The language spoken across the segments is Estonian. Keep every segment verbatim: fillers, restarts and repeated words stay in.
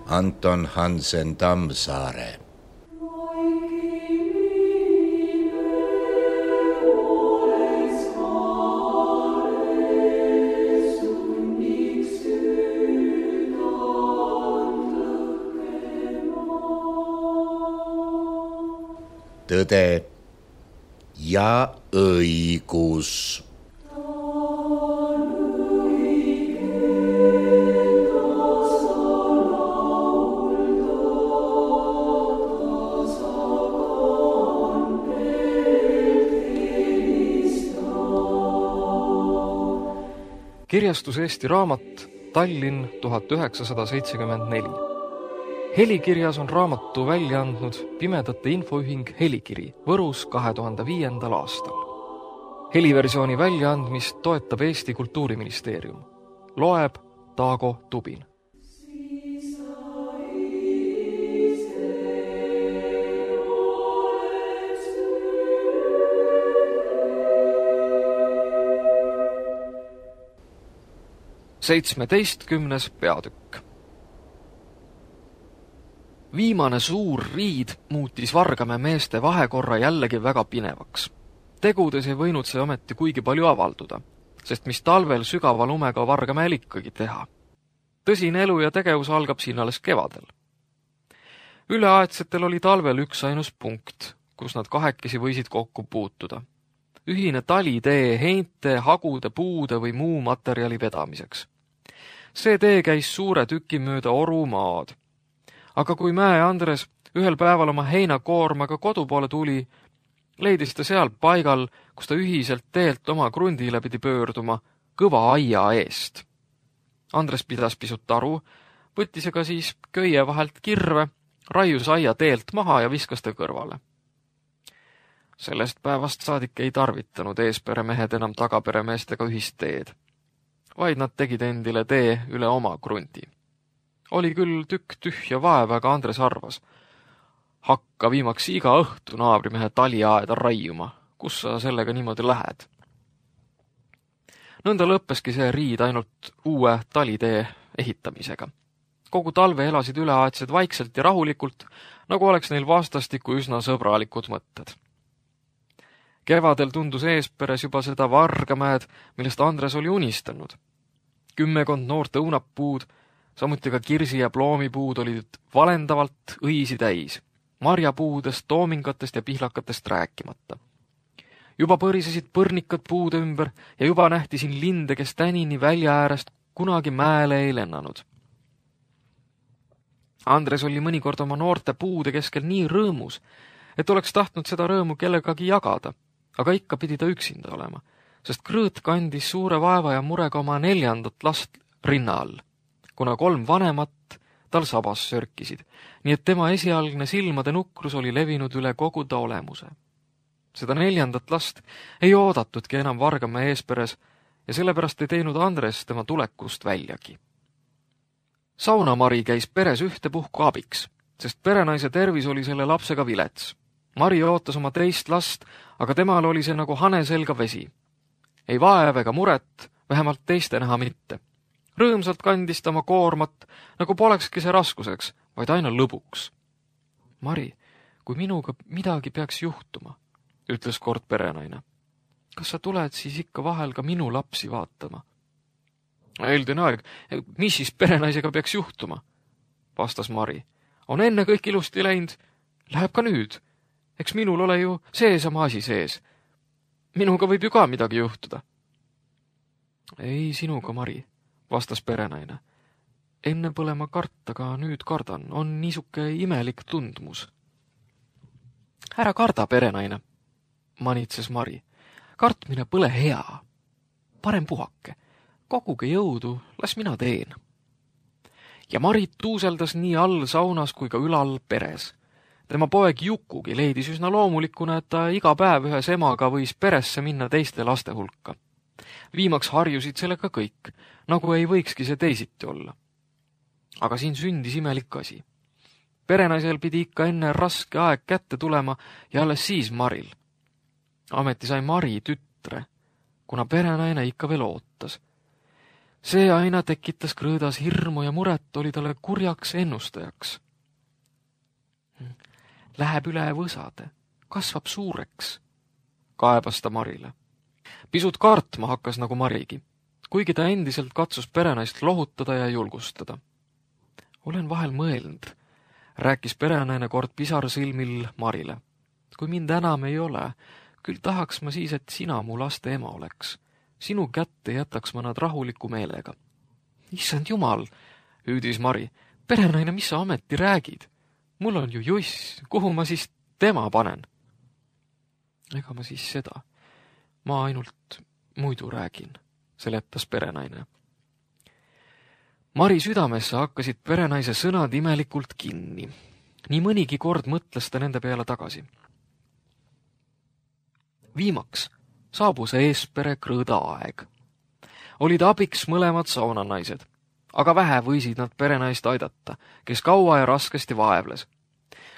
Anton Hansen Tammsaare. Tõde ja õigus. Kirjastus Eesti Raamat, Tallinn tuhat üheksasada seitsekümmend neli. Helikirjas on raamatu välja andnud Pimedate Infoühing Helikiri Võrus kahe tuhande viiendal aastal. Heliversiooni väljaandmist toetab Eesti Kultuuriministeerium. Loeb Taago Tubin. seitsmeteistkümnes peatükk. Viimane suur riid muutis Vargamäe meeste vahekorra jällegi väga pinevaks. Tegudes ei võinud see ometi kuigi palju avalduda, sest mis talvel sügava lumega Vargamäel ikkagi teha. Tõsine elu ja tegevus algab siin alles kevadel. Üleaedsetel oli talvel üks ainus punkt, kus nad kahekesi võisid kokku puutuda. Ühine talitee heinte, hagude, puude või muu materjali vedamiseks. See tee käis suure tüki mööda Orumaad. Aga kui Mäe Andres ühel päeval oma heinakoormaga kodu poole tuli, leidis ta seal paigal, kus ta ühiselt teelt oma krundile pidi pöörduma, kõva aia eest. Andres pidas pisut aru, võttis aga siis köie vahelt kirve, raius aia teelt maha ja viskas ta kõrvale. Sellest päevast saadik ei tarvitanud eesperemehed enam tagaperemeestega ühist teed, vaid nad tegid endile tee üle oma krundi. Oli küll tükk tühja vaeva, aga Andres arvas, hakka viimaks iga õhtu naabrimehe taliaeda raiuma, kus sa sellega niimoodi lähed. Nõnda lõppeski see riid ainult uue talitee ehitamisega. Kogu talve elasid üleaedsed vaikselt ja rahulikult, nagu oleks neil vastastikku üsna sõbralikud mõtted. Kevadel tundus eesperes juba seda Vargamäed, millest Andres oli unistanud. Kümmekond noort õunapuud, samuti ka kirsi- ja ploomipuud olid valendavalt õisi täis, marjapuudest, toomingatest ja pihlakatest rääkimata. Juba põrisesid põrnikad puude ümber ja juba nähti siin linde, kes tänini välja äärest kunagi mäele ei lennanud. Andres oli mõnikord oma noorte puude keskel nii rõõmus, et oleks tahtnud seda rõõmu kellegagi jagada, aga ikka pidi ta üksinda olema, sest Krõõt kandis suure vaeva ja murega oma neljandat last rinna all, kuna kolm vanemat tal sabas sörkisid, nii et tema esialgne silmade nukrus oli levinud üle kogu ta olemuse. Seda neljandat last ei oodatudki enam Vargamäe eesperes ja sellepärast ei teinud Andres tema tulekust väljagi. Saunamari käis peres ühtepuhku abiks, sest perenaise tervis oli selle lapsega vilets. Mari ootas oma teist last, aga temal oli see nagu hane selga vesi. Ei vaev ega muret, vähemalt teiste näha mitte. Rõõmsalt kandis ta oma koormat, nagu polekski see raskuseks, vaid aina lõbuks. Mari, kui minuga midagi peaks juhtuma, ütles kord perenaine. Kas sa tuled siis ikka vahel ka minu lapsi vaatama? Eeldine aeg, mis siis perenaisega peaks juhtuma? Vastas Mari. On enne kõik ilusti läinud, läheb ka nüüd. Eks minul ole ju seesama asi sees. Minuga võib ju ka midagi juhtuda. Ei sinuga, Mari, vastas perenaine. Enne pole ma karta, aga nüüd kardan. On niisuke imelik tundmus. Ära karda, perenaine, manitses Mari. Kartmine pole hea. Parem puhake. Koguge jõudu, las mina teen. Ja Marit tuuseldas nii all saunas kui ka ülal peres. Tema poeg Jukugi leidis üsna loomulikuna, et ta iga päev ühes emaga võis peresse minna teiste laste hulka. Viimaks harjusid sellega kõik, nagu ei võikski see teisiti olla. Aga siin sündis imelik asi. Perenaisel pidi ikka enne raske aeg kätte tulema ja alles siis Maril. Ameti sai Mari tütre, kuna perenaine ikka veel ootas. See aina tekitas Krõõdas hirmu ja muret, oli talle kurjaks ennustajaks. Läheb üle võsade, kasvab suureks, kaebas ta Marile. Pisut kartma hakkas nagu Marigi, kuigi ta endiselt katsus perenaist lohutada ja julgustada. Olen vahel mõelnud, rääkis perenaine kord pisarsilmil Marile. Kui mind enam ei ole, küll tahaks ma siis, et sina mu laste ema oleks. Sinu kätte jätaks ma nad rahuliku meelega. Issand jumal, hüüdis Mari, perenaine, mis sa ameti räägid? Mul on ju juss, kuhu ma siis tema panen? Ega ma siis seda. Ma ainult muidu räägin, seletas perenaine. Mari südamesse hakkasid perenaise sõnad imelikult kinni. Nii mõnigi kord mõtles ta nende peale tagasi. Viimaks saabus Eespere Krõõda aeg. Olid abiks mõlemad saunanaised, aga vähe võisid nad perenaist aidata, kes kaua ja raskesti vaevles.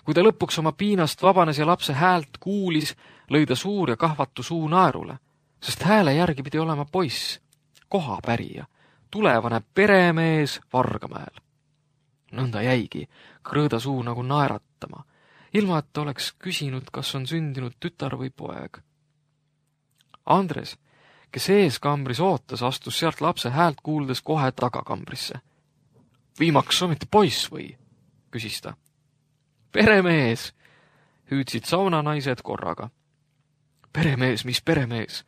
Kui ta lõpuks oma piinast vabanes ja lapse häält kuulis, lõi ta suur ja kahvatu suu naerule, sest hääle järgi pidi olema poiss, kohapärija, tulevane peremees Vargamäel. Nõnda jäigi Krõõda suu nagu naeratama, ilma et ta oleks küsinud, kas on sündinud tütar või poeg. Andres, kes ees kambris ootas, astus sealt lapse häält kuuldes kohe tagakambrisse. Viimaks ometi poiss või? Küsis ta. Peremees, hüüdsid saunanaised korraga. Peremees, mis peremees,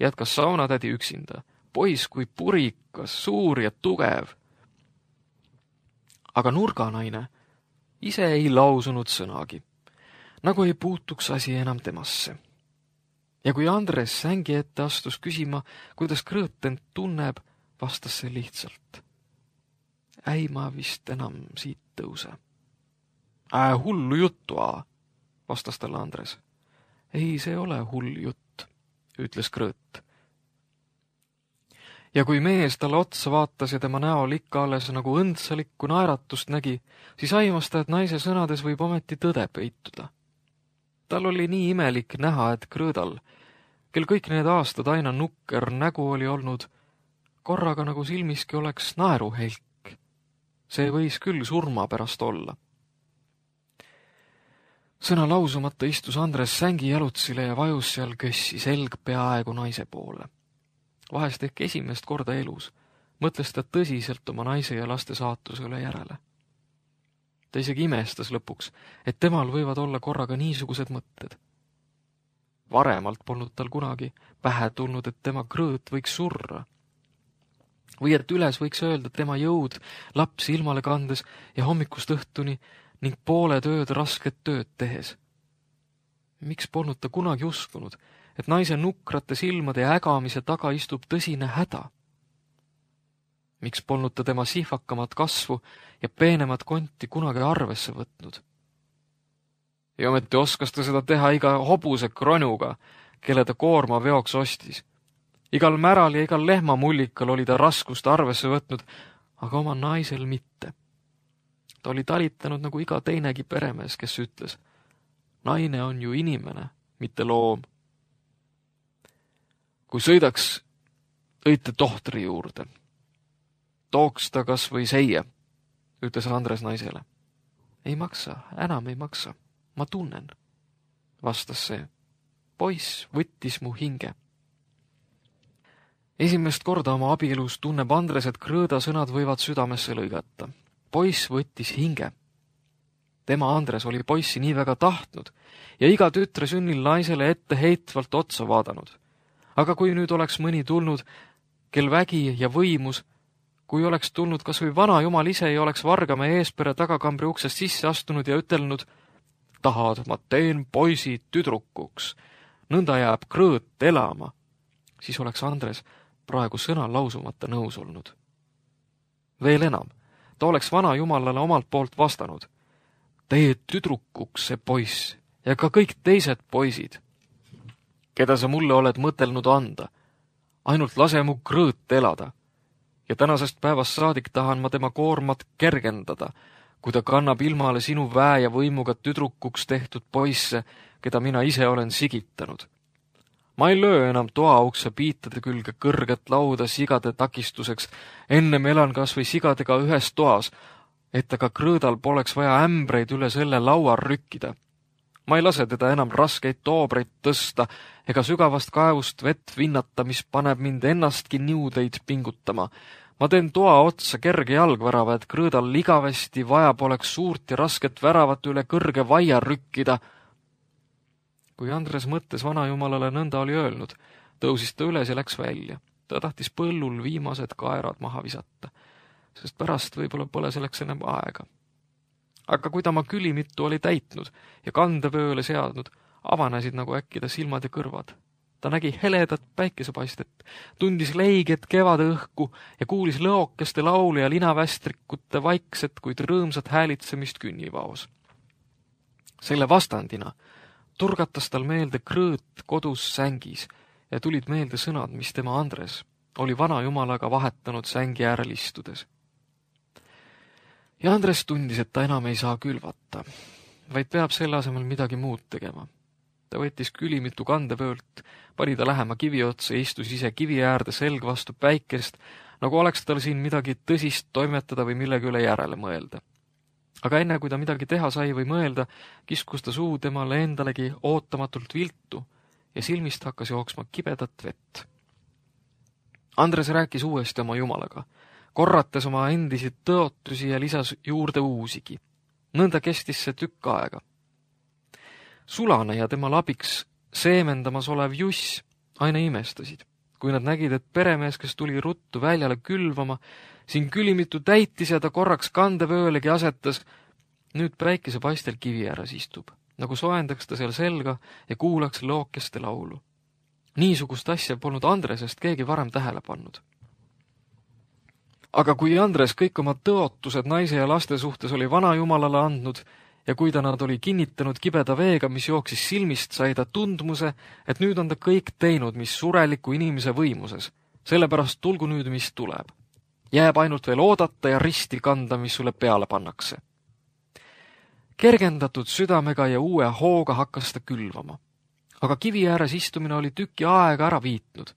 jätkas saunatädi üksinda. Poiss kui purikas, suur ja tugev. Aga nurganaine ise ei lausunud sõnagi, nagu ei puutuks asi enam temasse. Ja kui Andres sängi ette astus küsima, kuidas Krõõt end tunneb, vastas see lihtsalt. Ei, ma vist enam siit tõuse. Ää, hullu juttu, aa, vastas talle Andres. Ei, see ole hull jutt, ütles Krõõt. Ja kui mees talle otsa vaatas ja tema näol ikka alles nagu õndsalikku naeratust nägi, siis aimas ta, et naise sõnades võib ometi tõde peituda. Tal oli nii imelik näha, et Krõõdal, kel kõik need aastad aina nukker nägu oli olnud, korraga nagu silmiski oleks naeruhelk. See võis küll surma pärast olla. Sõna lausumata istus Andres sängi jalutsile ja vajus seal kössi selg peaaegu naise poole. Vahest ehk esimest korda elus mõtles ta tõsiselt oma naise ja laste saatuse üle järele. Ta isegi imestas lõpuks, et temal võivad olla korraga niisugused mõtted. Varemalt polnud tal kunagi pähe tulnud, et tema Krõõt võiks surra. Või et üles võiks öelda tema jõud lapsi ilmale kandes ja hommikust õhtuni ning poole tööd rasket tööd tehes. Miks polnud ta kunagi uskunud, et naise nukrate silmade ja ägamise taga istub tõsine häda? Miks polnud ta tema sihvakamat kasvu ja peenemat konti kunagi arvesse võtnud? Ja ometi oskas ta seda teha iga hobuse kronuga, kelle ta koorma veoks ostis. Igal märal ja igal lehmamullikal oli ta raskust arvesse võtnud, aga oma naisel mitte. Ta oli talitanud nagu iga teinegi peremees, kes ütles, naine on ju inimene, mitte loom. Kui sõidaks õite tohtri juurde, tooks ta kas või seie, ütles Andres naisele. Ei maksa, enam ei maksa, ma tunnen, vastas see. Poiss võttis mu hinge. Esimest korda oma abielus tunneb Andres, et Krõõda sõnad võivad südamesse lõigata. Poiss võttis hinge. Tema Andres oli poissi nii väga tahtnud ja iga tütre sünnil naisele ette heitvalt otsa vaadanud. Aga kui nüüd oleks mõni tulnud, kel vägi ja võimus, kui oleks tulnud kas või vana jumal ise ja oleks Vargamäe Eespere tagakambri uksest sisse astunud ja ütelnud, tahad, ma teen poisi tüdrukuks, nõnda jääb Krõõt elama, siis oleks Andres praegu sõna lausumata nõus olnud. Veel enam, ta oleks vana jumalale omalt poolt vastanud. Tee tüdrukuks see poiss ja ka kõik teised poisid, keda sa mulle oled mõtelnud anda. Ainult lase mu Krõõt elada. Ja tänasest päevast saadik tahan ma tema koormat kergendada, kui ta kannab ilmale sinu väe ja võimuga tüdrukuks tehtud poisse, keda mina ise olen sigitanud. Ma ei löö enam toaukse piitade külge kõrget lauda sigade takistuseks, ennem elan kas või sigadega ühes toas, et aga Krõõdal poleks vaja ämbreid üle selle laua rükkida. Ma ei lase teda enam raskeid toobreid tõsta ega sügavast kaevust vett vinnata, mis paneb mind ennastki niudeid pingutama. Ma teen toa otsa kerge jalgvärava, et Krõõdal igavesti vaja poleks suurt ja rasket väravat üle kõrge vaia rükkida. Kui Andres mõttes vanajumalale nõnda oli öelnud, tõusis ta üles ja läks välja. Ta tahtis põllul viimased kaerad maha visata, sest pärast võib-olla pole selleks enam aega. Aga kui ta oma külimitu oli täitnud ja kandevööle seadnud, avanesid nagu äkki ta silmad ja kõrvad. Ta nägi heledat päikesepaistet, tundis leiget kevade õhku ja kuulis lõokeste laulu ja linavästrikute vaikset, kuid rõõmsat häälitsemist künnivaos. Selle vastandina turgatas tal meelde Krõõt kodus sängis ja tulid meelde sõnad, mis tema Andres oli vanajumalaga vahetanud sängi äärel istudes. Ja Andres tundis, et ta enam ei saa külvata, vaid peab selle asemel midagi muud tegema. Ta võttis külimitu kandevöölt, pani ta lähema kivi otsa ja istus ise kivi äärde selg vastu päikest, nagu oleks tal siin midagi tõsist toimetada või millegi üle järele mõelda. Aga enne, kui ta midagi teha sai või mõelda, kiskus ta suu temale endalegi ootamatult viltu ja silmist hakkas jooksma kibedat vett. Andres rääkis uuesti oma jumalaga, korrates oma endisid tõotusi ja lisas juurde uusigi. Nõnda kestis see tükk aega. Sulane ja temal abiks seemendamas olev Juss aina imestasid, kui nad nägid, et peremees, kes tuli ruttu väljale külvama, siin külimitu täitis ja ta korraks kandevöölegi asetas, nüüd päikese paistel kivi ääres istub, nagu soendaks ta seal selga ja kuulaks lookeste laulu. Niisugust asja polnud Andresest keegi varem tähele pannud. Aga kui Andres kõik oma tõotused naise ja laste suhtes oli vanajumalale andnud ja kui ta nad oli kinnitanud kibeda veega, mis jooksis silmist, sai ta tundmuse, et nüüd on ta kõik teinud, mis sureliku inimese võimuses, sellepärast tulgu nüüd, mis tuleb. Jääb ainult veel oodata ja risti kanda, mis sulle peale pannakse. Kergendatud südamega ja uue hooga hakkas ta külvama. Aga kivi ääres istumine oli tüki aega ära viitnud.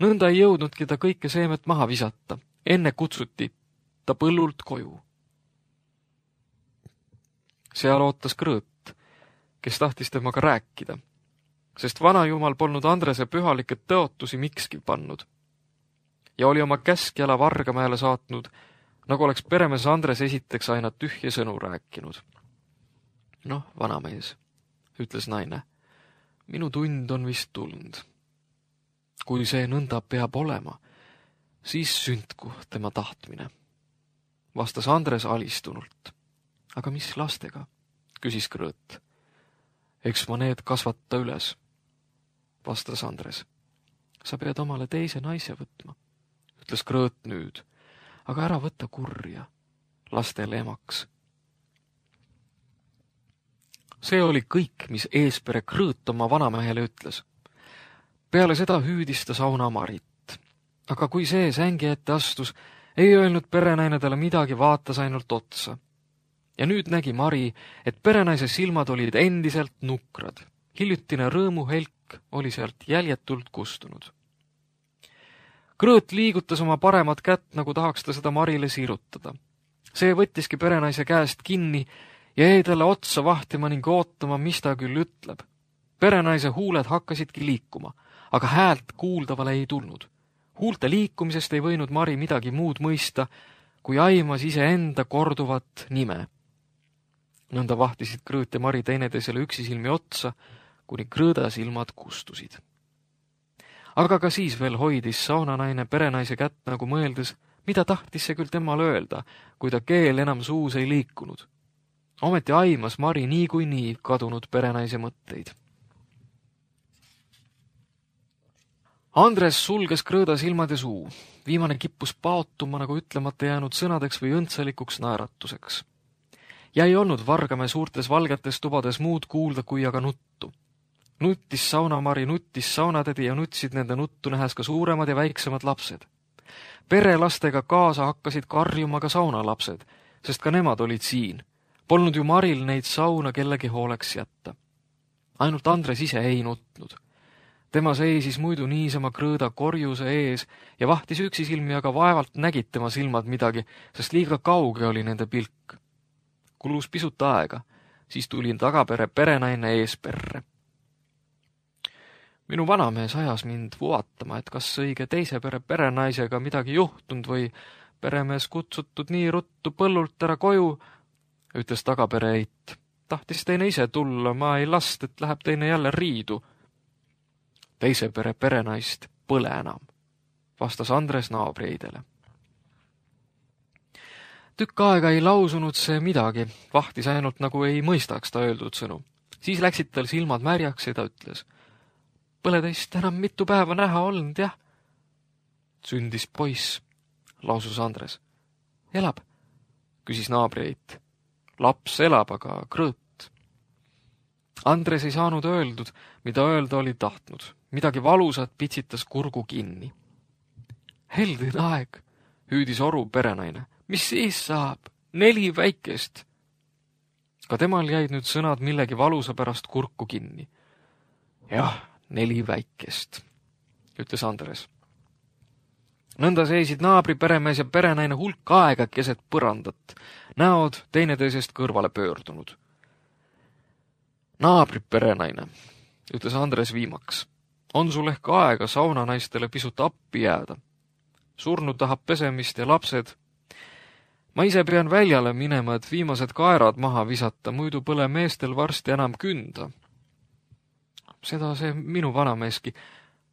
Nõnda ei jõudnudki ta kõike seemet maha visata. Enne kutsuti ta põllult koju. Seal ootas Krõõt, kes tahtis temaga rääkida, sest vanajumal polnud Andrese pühalikke tõotusi mikski pannud ja oli oma käskjala Vargamäele saatnud, nagu oleks peremees Andres esiteks aina tühje sõnu rääkinud. Noh, vanamees, ütles naine, minu tund on vist tulnud. Kui see nõnda peab olema, siis sündku tema tahtmine, vastas Andres alistunult. Aga mis lastega? Küsis Krõõt. Eks ma need kasvata üles, vastas Andres. Sa pead omale teise naise võtma, ütles Krõõt nüüd, aga ära võtta kurja, lastele emaks. See oli kõik, mis eespere Krõõt oma vanamehele ütles. Peale seda hüüdis ta sauna Marit, aga kui see sängi ette astus, ei öelnud perenaine talle midagi, vaatas ainult otsa. Ja nüüd nägi Mari, et perenaise silmad olid endiselt nukrad. Hiljutine rõõmuhelk oli sealt jäljetult kustunud. Krõõt liigutas oma paremat kätt, nagu tahaks ta seda Marile sirutada. See võttiski perenaise käest kinni ja jäi talle otsa vahtima ning ootama, mis ta küll ütleb. Perenaise huuled hakkasidki liikuma, aga häält kuuldavale ei tulnud. Huulte liikumisest ei võinud Mari midagi muud mõista, kui aimas iseenda korduvat nime. Nõnda vahtisid Krõõt ja Mari teineteisele üksisilmi otsa, kuni Krõõda silmad kustusid. Aga ka siis veel hoidis saunanaine perenaise kätt, nagu mõeldes, mida tahtis see küll temal öelda, kui ta keel enam suus ei liikunud. Ometi aimas Mari nii kui nii kadunud perenaise mõtteid. Andres sulges Krõõda silmad ja suu. Viimane kippus paotuma nagu ütlemata jäänud sõnadeks või õndsalikuks naeratuseks. Ja ei olnud Vargamäe suurtes valgetes tubades muud kuulda kui aga nuttu. Nuttis saunamari, nuttis saunatädi ja nutsid nende nuttu nähes ka suuremad ja väiksemad lapsed. Perelastega kaasa hakkasid karjuma ka saunalapsed, sest ka nemad olid siin. Polnud ju Maril neid sauna kellegi hooleks jätta. Ainult Andres ise ei nutnud. Tema seisis muidu niisama krõõda korjuse ees ja vahtis üksisilmi, aga vaevalt nägid tema silmad midagi, sest liiga kauge oli nende pilk. Kulus pisut aega, siis tuli tagapere perenaine eesperre. Minu vanamees ajas mind vuatama, et kas õige teise pere perenaisega midagi juhtunud või peremees kutsutud nii ruttu põllult ära koju, ütles tagapere eit. Tahtis teine ise tulla, ma ei last, et läheb teine jälle riidu. Teise pere perenaist põle enam, vastas Andres naabrieidele. Tükk aega ei lausunud see midagi, vahtis ainult nagu ei mõistaks ta öeldud sõnu. Siis läksid tal silmad märjaks ja ta ütles. Põle teist enam mitu päeva näha olnud, jah? Sündis poiss, lausus Andres. Elab, küsis naabrieit. Laps elab, aga krõõt. Andres ei saanud öeldud, mida öelda oli tahtnud. Midagi valusat pitsitas kurgu kinni. Heldin aeg, hüüdis oru perenaine. Mis siis saab? Neli väikest. Ka temal jäid nüüd sõnad millegi valusa pärast kurku kinni. Jah, neli väikest, ütles Andres. Nõnda seisid naabri peremees ja perenaine hulk aega keset põrandat, näod teineteisest kõrvale pöördunud. Naabri perenaine, ütles Andres viimaks, on sul ehk aega saunanaistele pisut appi jääda. Surnud tahab pesemist ja lapsed. Ma ise pean väljale minema, et viimased kaerad maha visata, muidu põle meestel varsti enam künda. Seda see minu vanameeski,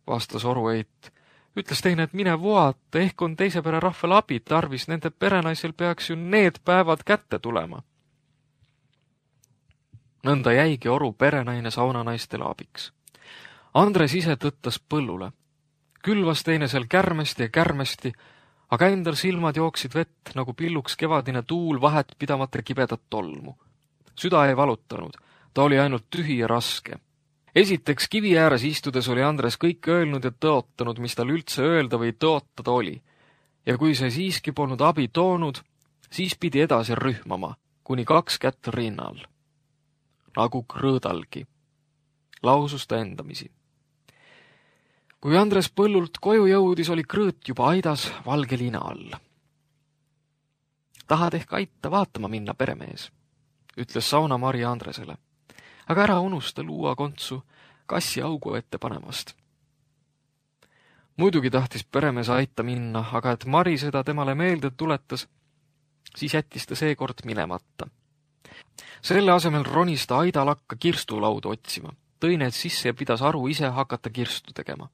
vastas orueit. Ütles teine, et mine vuata, ehk on teise pere rahval abi tarvis, nende perenaisel peaks ju need päevad kätte tulema. Nõnda jäigi oru perenaine saunanaistele abiks. Andres ise tõttas põllule. Külvas teine seal kärmesti ja kärmesti, aga endal silmad jooksid vett, nagu pilluks kevadine tuul vahet pidamata kibedat tolmu. Süda ei valutanud, ta oli ainult tühi ja raske. Esiteks kivi ääres istudes oli Andres kõik öelnud ja tõotanud, mis tal üldse öelda või tõotada oli. Ja kui see siiski polnud abi toonud, siis pidi edasi rühmama, kuni kaks kätt rinnal. Nagu krõõdalgi, lausus ta endamisi. Kui Andres põllult koju jõudis, oli krõõt juba aidas valge liina all. Tahad ehk aita vaatama minna, peremees, ütles saunamari Andresele. Aga ära unusta luua kontsu kassi augu ette panemast. Muidugi tahtis peremees aita minna, aga et Mari seda temale meelde tuletas, siis jättis ta seekord minemata. Selle asemel ronis ta aidalakka kirstulaudu otsima, tõi need sisse ja pidas aru ise hakata kirstu tegema.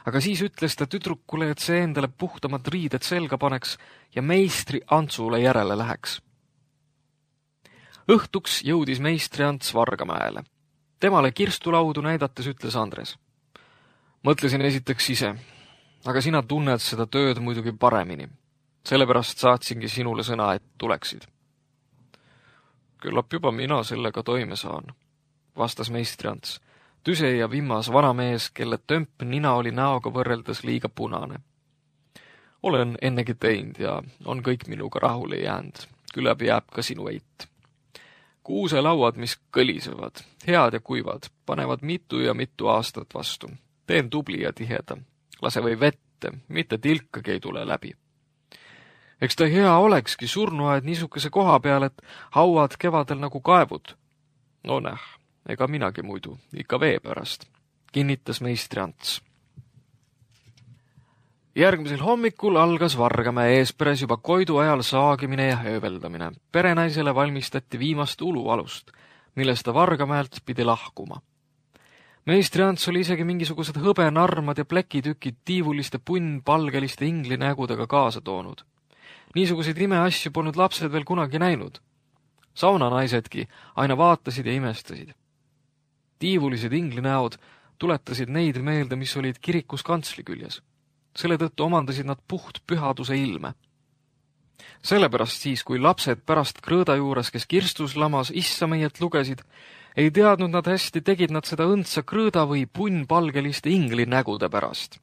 Aga siis ütles ta tüdrukule, et see endale puhtamad riided selga paneks ja meistri Antsule järele läheks. Õhtuks jõudis meistri Ants Vargamäele. Temale kirstulaudu näidates ütles Andres. Mõtlesin esiteks ise, aga sina tunned seda tööd muidugi paremini. Sellepärast saatsingi sinule sõna, et tuleksid. Küllap juba mina sellega toime saan, vastas meistri Ants. Tüse ja vimmas vanamees, kelle tömp nina oli näoga võrreldes liiga punane. Olen ennegi teinud ja on kõik minuga rahule jäänud. Küllap jääb ka sinu eit. Kuuselauad, mis kõlisevad, head ja kuivad, panevad mitu ja mitu aastat vastu. Teen tubli ja tiheda. Lase või vette, mitte tilkagi ei tule läbi. Eks ta hea olekski surnuaed niisuguse koha peal, et hauad kevadel nagu kaevud. No näh, ega minagi muidu, ikka vee pärast, kinnitas meistri Ants. Järgmisel hommikul algas Vargamäe eesperes juba koidu ajal saagimine ja hööveldamine. Perenaisele valmistati viimast ulualust, millest ta Vargamäelt pidi lahkuma. Meistri Ants oli isegi mingisugused hõbenarmad ja plekitükid tiivuliste punnpalgeliste inglinägudega kaasa toonud. Niisuguseid imeasju polnud lapsed veel kunagi näinud. Saunanaisedki aina vaatasid ja imestasid. Tiivulised inglinäod tuletasid neid meelde, mis olid kirikus kantsli küljes. Selle tõttu omandasid nad puht pühaduse ilme. Sellepärast siis, kui lapsed pärast krõõda juures, kes kirstus lamas issa meiet lugesid, ei teadnud nad hästi, tegid nad seda õndsa krõõda või punnpalgeliste inglinägude pärast.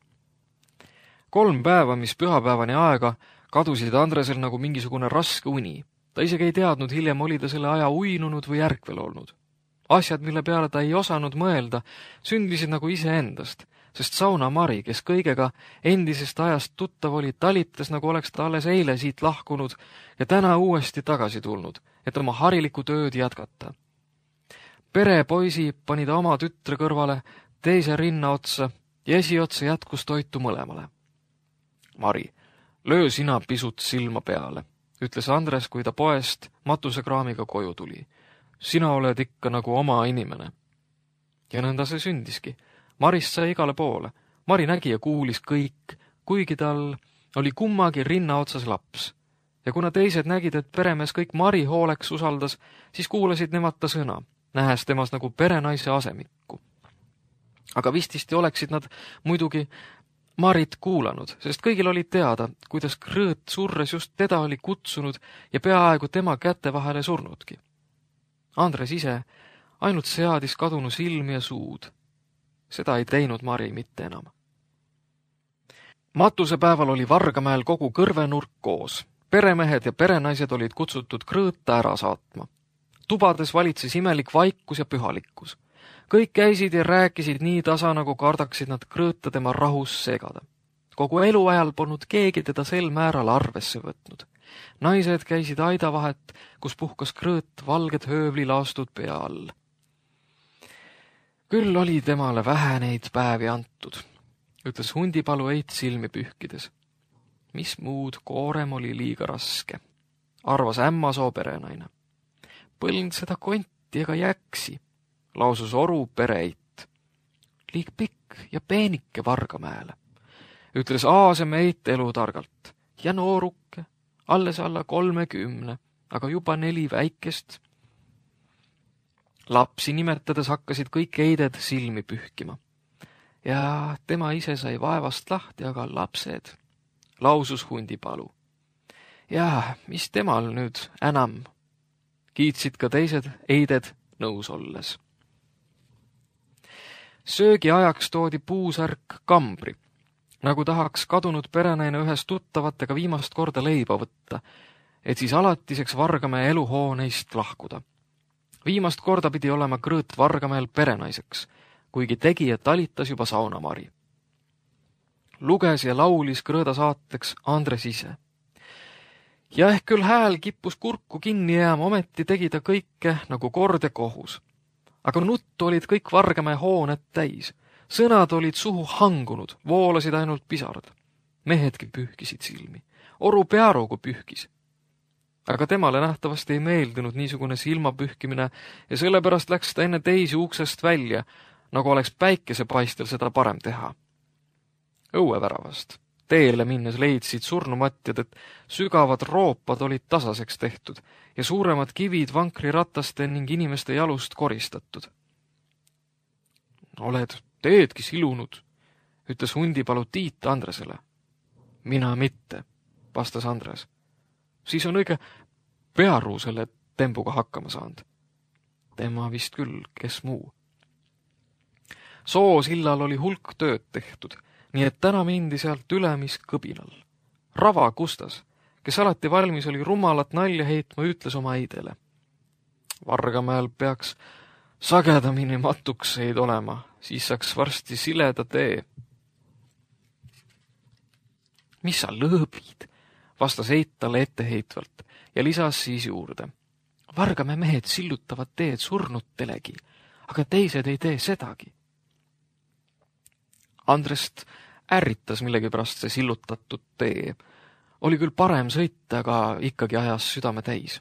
Kolm päeva, mis pühapäevani aega, kadusid Andresel nagu mingisugune raske uni. Ta isegi ei teadnud, hiljem oli ta selle aja uinunud või ärkvel olnud. Asjad, mille peale ta ei osanud mõelda, sündisid nagu iseendast, sest Sauna Mari, kes kõigega endisest ajast tuttav oli, talitas, nagu oleks ta alles eile siit lahkunud ja täna uuesti tagasi tulnud, et oma harilikku tööd jätkata. Perepoisi pani ta oma tütre kõrvale teise rinna otsa ja esiotsa jätkus toitu mõlemale. Mari, löö sina pisut silma peale, ütles Andres, kui ta poest matusekraamiga koju tuli. Sina oled ikka nagu oma inimene. Ja nõnda see sündiski. Marist sai igale poole. Mari nägi ja kuulis kõik, kuigi tal oli kummagi rinna otsas laps. Ja kuna teised nägid, et peremees kõik Mari hooleks usaldas, siis kuulasid nemad ta sõna, nähes temas nagu perenaise asemikku. Aga vististi oleksid nad muidugi Marit kuulanud, sest kõigil oli teada, kuidas Krõõt surres just teda oli kutsunud ja peaaegu tema käte vahele surnudki. Andres ise ainult seadis kadunu silmi ja suud. Seda ei teinud Mari mitte enam. Matusepäeval oli Vargamäel kogu kõrvenurk koos. Peremehed ja perenaised olid kutsutud Krõõta ära saatma. Tubades valitses imelik vaikus ja pühalikkus. Kõik käisid ja rääkisid nii tasa, nagu kardaksid nad Krõõta tema rahus segada. Kogu eluajal polnud keegi teda sel määral arvesse võtnud. Naised käisid aidavahet, kus puhkas Krõõt valged höövlilaastud pea all. Küll oli temale vähe neid päevi antud, ütles Hundipalu Eit silmi pühkides. Mis muud, koorem oli liiga raske, arvas Ämmasoo perenaine. Põlnd seda konti ega jäksi, lausus Oru Pereit. Liig pikk ja peenike Vargamäele, ütles Aasem Eit elutargalt. Ja nooruke, alles alla kolmekümne, aga juba neli väikest. Lapsi nimetades hakkasid kõik Eided silmi pühkima. Ja tema ise sai vaevast lahti, aga lapsed, lausus Hundipalu. Ja mis temal nüüd enam? Kiitsid ka teised Eided nõus olles. Söögi ajaks toodi puusärk kambri, nagu tahaks kadunud perenaine ühes tuttavatega viimast korda leiba võtta, et siis alatiseks Vargamäe eluhooneist lahkuda. Viimast korda pidi olema Krõõt Vargamäel perenaiseks, kuigi tegi ja talitas juba Sauna Mari. Luges ja laulis Krõõda saateks Andres ise. Ja ehk küll hääl kippus kurku kinni jääma, ometi tegi ta kõike nagu kord ja kohus. Aga nuttu olid kõik Vargamäe hooned täis. Sõnad olid suhu hangunud, voolasid ainult pisarad. Mehedki pühkisid silmi. Oru Pearugu pühkis. Aga temale nähtavasti ei meeldinud niisugune silmapühkimine ja sellepärast läks ta enne teisi uksest välja, nagu oleks päikesepaistel seda parem teha. Õueväravast. Teele minnes leidsid surnumatjad, et sügavad roopad olid tasaseks tehtud ja suuremad kivid vankrirattaste ning inimeste jalust koristatud. Oled teedki silunud, ütles Hundipalu Tiit Andresele. Mina mitte, vastas Andres. Siis on õige Pearu selle tembuga hakkama saanud. Tema vist küll, kes muu. Soosillal oli hulk tööd tehtud, nii et täna mindi sealt üle mis kõbinal. Rava Kustas, kes alati valmis oli rumalat nalja heitma, ütles oma Eidele. Vargamäel peaks sagedamini matukseid olema, siis saaks varsti sileda tee. Mis sa lõõbid? Vastas Eit talle etteheitvalt ja lisas siis juurde. Vargamäe mehed sillutavad teed surnutelegi, aga teised ei tee sedagi. Andrest ärritas millegipärast see sillutatud tee. Oli küll parem sõita, aga ikkagi ajas südame täis.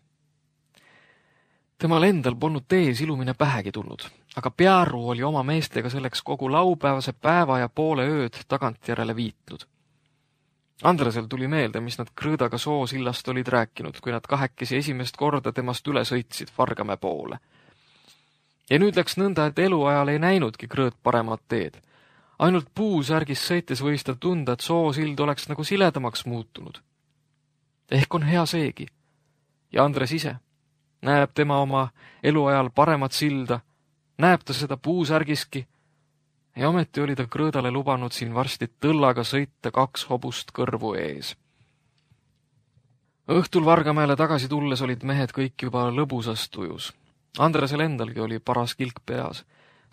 Temal endal polnud tee silumine pähegi tulnud, aga Pearu oli oma meestega selleks kogu laupäevase päeva ja poole ööd tagantjärele viitnud. Andresel tuli meelde, mis nad Krõõdaga Soosillast olid rääkinud, kui nad kahekesi esimest korda temast üle sõitsid Vargamäe poole. Ja nüüd läks nõnda, et eluajal ei näinudki Krõõt paremat teed. Ainult puusärgis sõites võis ta tunda, et Soosild oleks nagu siledamaks muutunud. Ehk on hea seegi. Ja Andres ise. Näeb tema oma eluajal paremat silda, näeb ta seda puusärgiski, ja ometi oli ta Krõõdale lubanud siin varsti tõllaga sõita kaks hobust kõrvu ees. Õhtul Vargamäele tagasi tulles olid mehed kõik juba lõbusas tujus. Andresel endalgi oli paras kilk peas,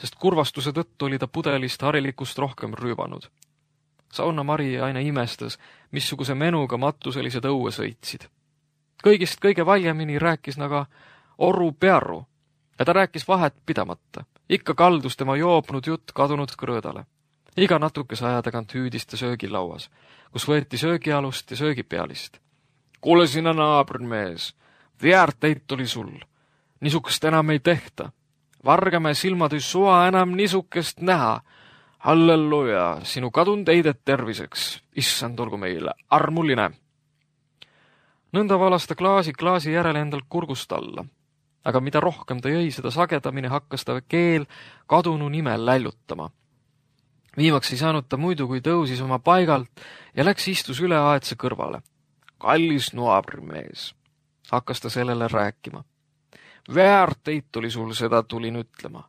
sest kurvastuse tõttu oli ta pudelist harilikust rohkem rüübanud. Sauna Mari aina imestas, missuguse menuga matuselised õue sõitsid. Kõigist kõige valjemini rääkis naga Oru Pearu ja ta rääkis vahet pidamata. Ikka kaldus tema joopnud jutt kadunud krõõdale. Iga natukese aja tagant hüüdis ta söögilauas, kus võeti söögialust ja söögipealist. Kuule sina naabrinmees, väärteit oli sul. Nisukest enam ei tehta. Vargame silmad ei sua enam nisukest näha. Halleluja, sinu kadund eidet terviseks. Issand olgu meile armuline. Nõnda valas ta klaasi klaasi järele endal kurgust alla. Aga mida rohkem ta jõi, seda sagedamini hakkas ta keel kadunu nimel lällutama. Viimaks ei saanud ta muidu, kui tõusis oma paigalt ja läks istus üle aetse kõrvale. Kallis naabrimees, hakkas ta sellele rääkima. Väärteit oli sul, seda tulin ütlema.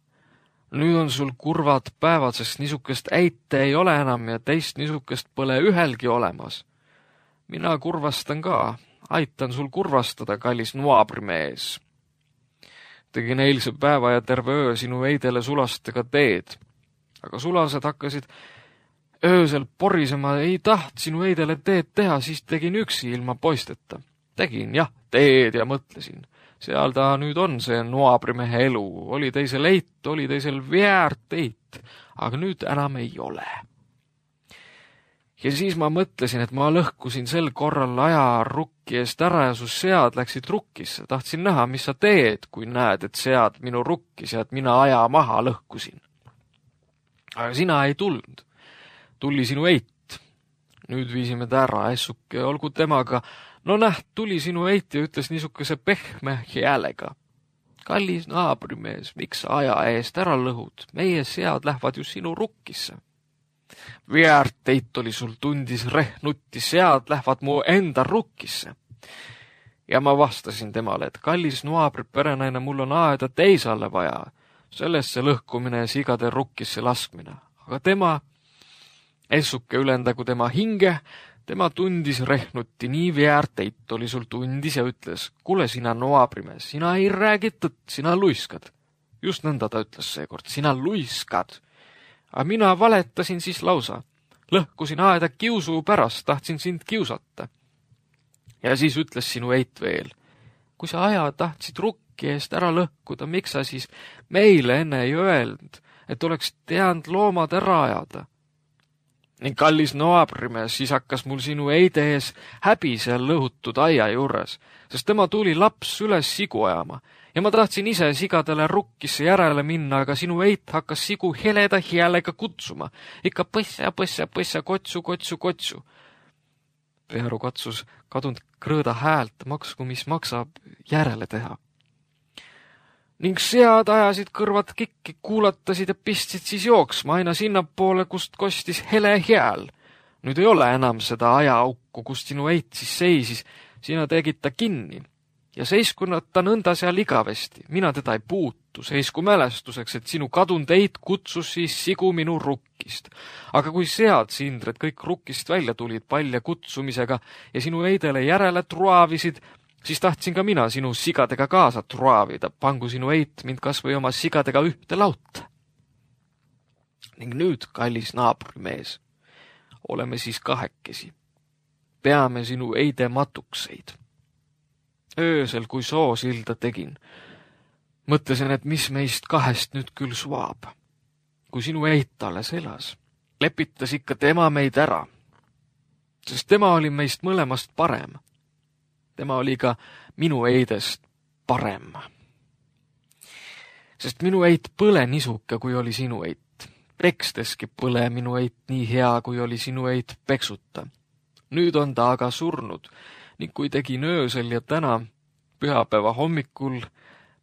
Nüüd on sul kurvad päevad, sest nisukest äite ei ole enam ja teist nisukest pole ühelgi olemas. Mina kurvastan ka, aitan sul kurvastada, kallis naabrimees. Tegin eilse päeva ja terve öö sinu eidele sulastega teed. Aga sulased hakkasid öösel porisema, ei taht sinu eidele teed teha, siis tegin üksi ilma poisteta. Tegin, jah, teed ja mõtlesin. Seal ta nüüd on see naabrimehe elu. Oli teisel eit, oli teisel väärteit, aga nüüd enam ei ole. Ja siis ma mõtlesin, et ma lõhkusin sel korral aja rukki eest ära ja su sead läksid rukkisse. Tahtsin näha, mis sa teed, kui näed, et sead minu rukkis ja et mina aja maha lõhkusin. Aga sina ei tulnud. Tuli sinu eit. Nüüd viisime ta ära, essuke, olgu temaga. No näht, tuli sinu eit ja ütles niisukese pehme häälega. Kallis naabrimees, miks sa aja eest ära lõhud? Meie sead lähevad ju sinu rukkisse. Väärteit oli sul, tundis rehnutti, sead lähevad mu enda rukkisse. Ja ma vastasin temale, et kallis naabri perenaine, mul on aeda teisale vaja. Sellesse lõhkumine ja sigade rukkisse laskmine. Aga tema, essuke ülendagu tema hinge, tema tundis rehnutti, nii väärteit oli sul tundis ja ütles, kuule sina naabrimees, sina ei räägi tõtt, sina luiskad. Just nõnda ta ütles seekord, sina luiskad. Aga mina valetasin siis lausa. Lõhkusin aeda kiusu pärast, tahtsin sind kiusata. Ja siis ütles sinu eit veel, kui sa aja tahtsid rukki eest ära lõhkuda, miks sa siis meile enne ei öelnud, et oleks teanud loomad ära ajada? Ning kallis naabrimees, siis hakkas mul sinu eide ees häbi seal lõhutud aia juures, sest tema tuli laps üles sigu ajama ja ma tahtsin ise sigadele rukkisse järele minna, aga sinu eit hakkas sigu heleda häälega kutsuma. Ikka põssa, põssa, põssa, kotsu, kotsu, kotsu. Pearu katsus kadunud krõõda häält, maksku mis maksab, järele teha. Ning sead ajasid kõrvad kikki, kuulatasid ja pistsid siis jooksma aina sinnapoole, kust kostis hele hääl. Nüüd ei ole enam seda ajaukku, kust sinu eit siis seisis, sina tegid ta kinni. Ja seisku ta nõnda seal igavesti, mina teda ei puutu, seisku mälestuseks, et sinu kadunud eit kutsus siis sigu minu rukkist. Aga kui sead sindred kõik rukkist välja tulid palja kutsumisega ja sinu eidele järele truavisid, siis tahtsin ka mina sinu sigadega kaasa truavida, pangu sinu eit mind kas või oma sigadega ühte lauta. Ning nüüd, kallis naabrimees, oleme siis kahekesi. Peame sinu eide matukseid. Öösel, kui soosilda tegin, mõtlesin, et mis meist kahest nüüd küll suab. Kui sinu eit alles elas, lepitas ikka tema meid ära, sest tema oli meist mõlemast parem. Tema oli ka minu eidest parem. Sest minu eit põle nisuke, kui oli sinu eit. Peksteski põle minu eit nii hea, kui oli sinu eit peksuta. Nüüd on ta aga surnud, ning kui tegin öösel ja täna, pühapäeva hommikul,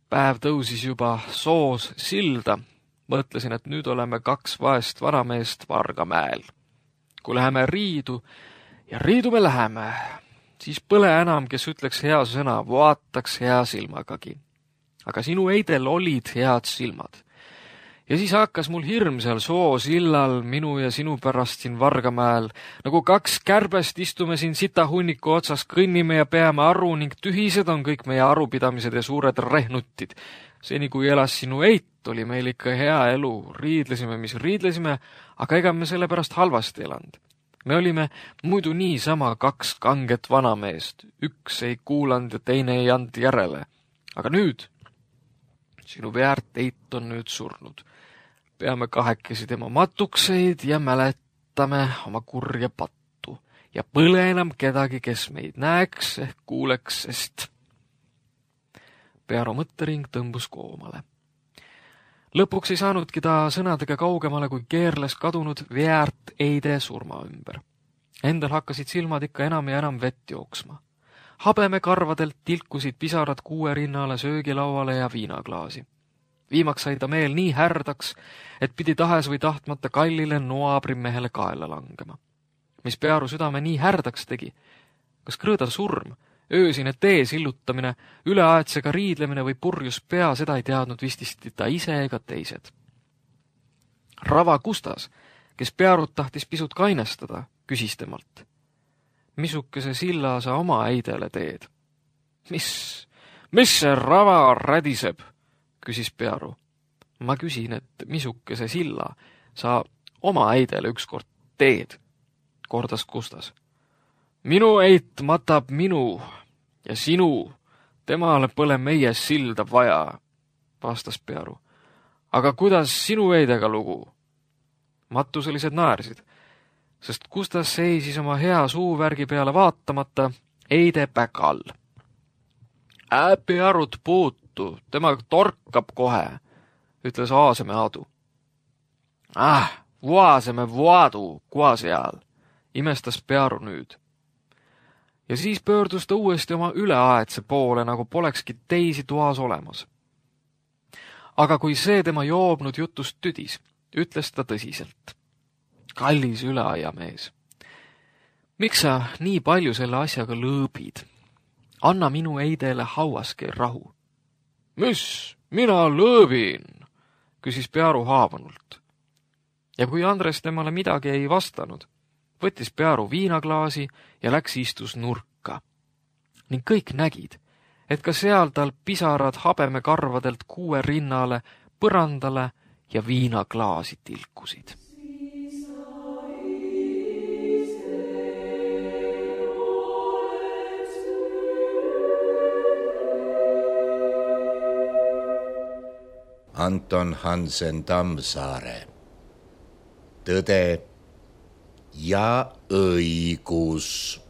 päev tõusis juba soos silda, mõtlesin, et nüüd oleme kaks vaest vanameest Vargamäel. Kui läheme riidu, ja riidu me läheme, siis põle enam, kes ütleks hea sõna, vaataks hea silmagagi. Aga sinu eidel olid head silmad. Ja siis hakkas mul hirm seal soosillal minu ja sinu pärast siin Vargamäel. Nagu kaks kärbest istume siin sitahunniku otsas, kõnnime ja peame aru ning tühised on kõik meie arupidamised ja suured rehnutid. Seni kui elas sinu eit, oli meil ikka hea elu. Riidlesime, mis riidlesime, aga ega me selle pärast halvasti elanud. Me olime muidu niisama kaks kanget vanameest. Üks ei kuulanud ja teine ei and järele. Aga nüüd, sinu väärt eit on nüüd surnud. Peame kahekesi tema matukseid ja mäletame oma kurja pattu. Ja põle enam kedagi, kes meid näeks ehk kuuleks, sest Pearo mõttering tõmbus koomale. Lõpuks ei saanudki ta sõnadega kaugemale, kui keerles kadunud väärt eide surma ümber. Endal hakkasid silmad ikka enam ja enam vett jooksma. Habeme karvadelt tilkusid pisarad kuue rinnale, söögilauale ja viinaklaasi. Viimaks sai ta meel nii härdaks, et pidi tahes või tahtmata kallile noabrimehele kaela langema. Mis Pearu südame nii härdaks tegi? Kas krõõda surm, öösine tee sillutamine, üleaetsega riidlemine või purjus pea, seda ei teadnud vististi ta ise ega teised. Rava Kustas, kes Pearut tahtis pisut kainestada, küsis temalt. Missukese silla sa oma äidele teed? Mis, mis see Rava rädiseb? Küsis Pearu. Ma küsin, et missukese silla sa oma äidele ükskord teed, kordas Kustas. Minu eit matab minu ja sinu, temale pole meie silda vaja, vastas Pearu. Aga kuidas sinu eidega lugu? Matuselised naersid, sest Kustas seisis oma hea suuvärgi peale vaatamata eide päkal. Ää Pearut puutu, tema torkab kohe, ütles Aaseme Aadu. Ah, vuaseme vuadu, kua seal, imestas Pearu nüüd. Ja siis pöördus ta uuesti oma üleaetse poole, nagu polekski teisi toas olemas. Aga kui see tema joobnud jutust tüdis, ütles ta tõsiselt. Kallis üleaiamees, miks sa nii palju selle asjaga lõõbid? Anna minu eidele hauaske rahu. Mis, mina lõõbin, küsis Pearu haavunult. Ja kui Andres temale midagi ei vastanud, võttis Pearu viinaklaasi ja läks istus nurka. Ning kõik nägid, et ka seal tal pisarad habeme karvadelt kuue rinnale, põrandale ja viinaklaasi tilkusid. Anton Hansen Tammsaare. Tõde ja õigus.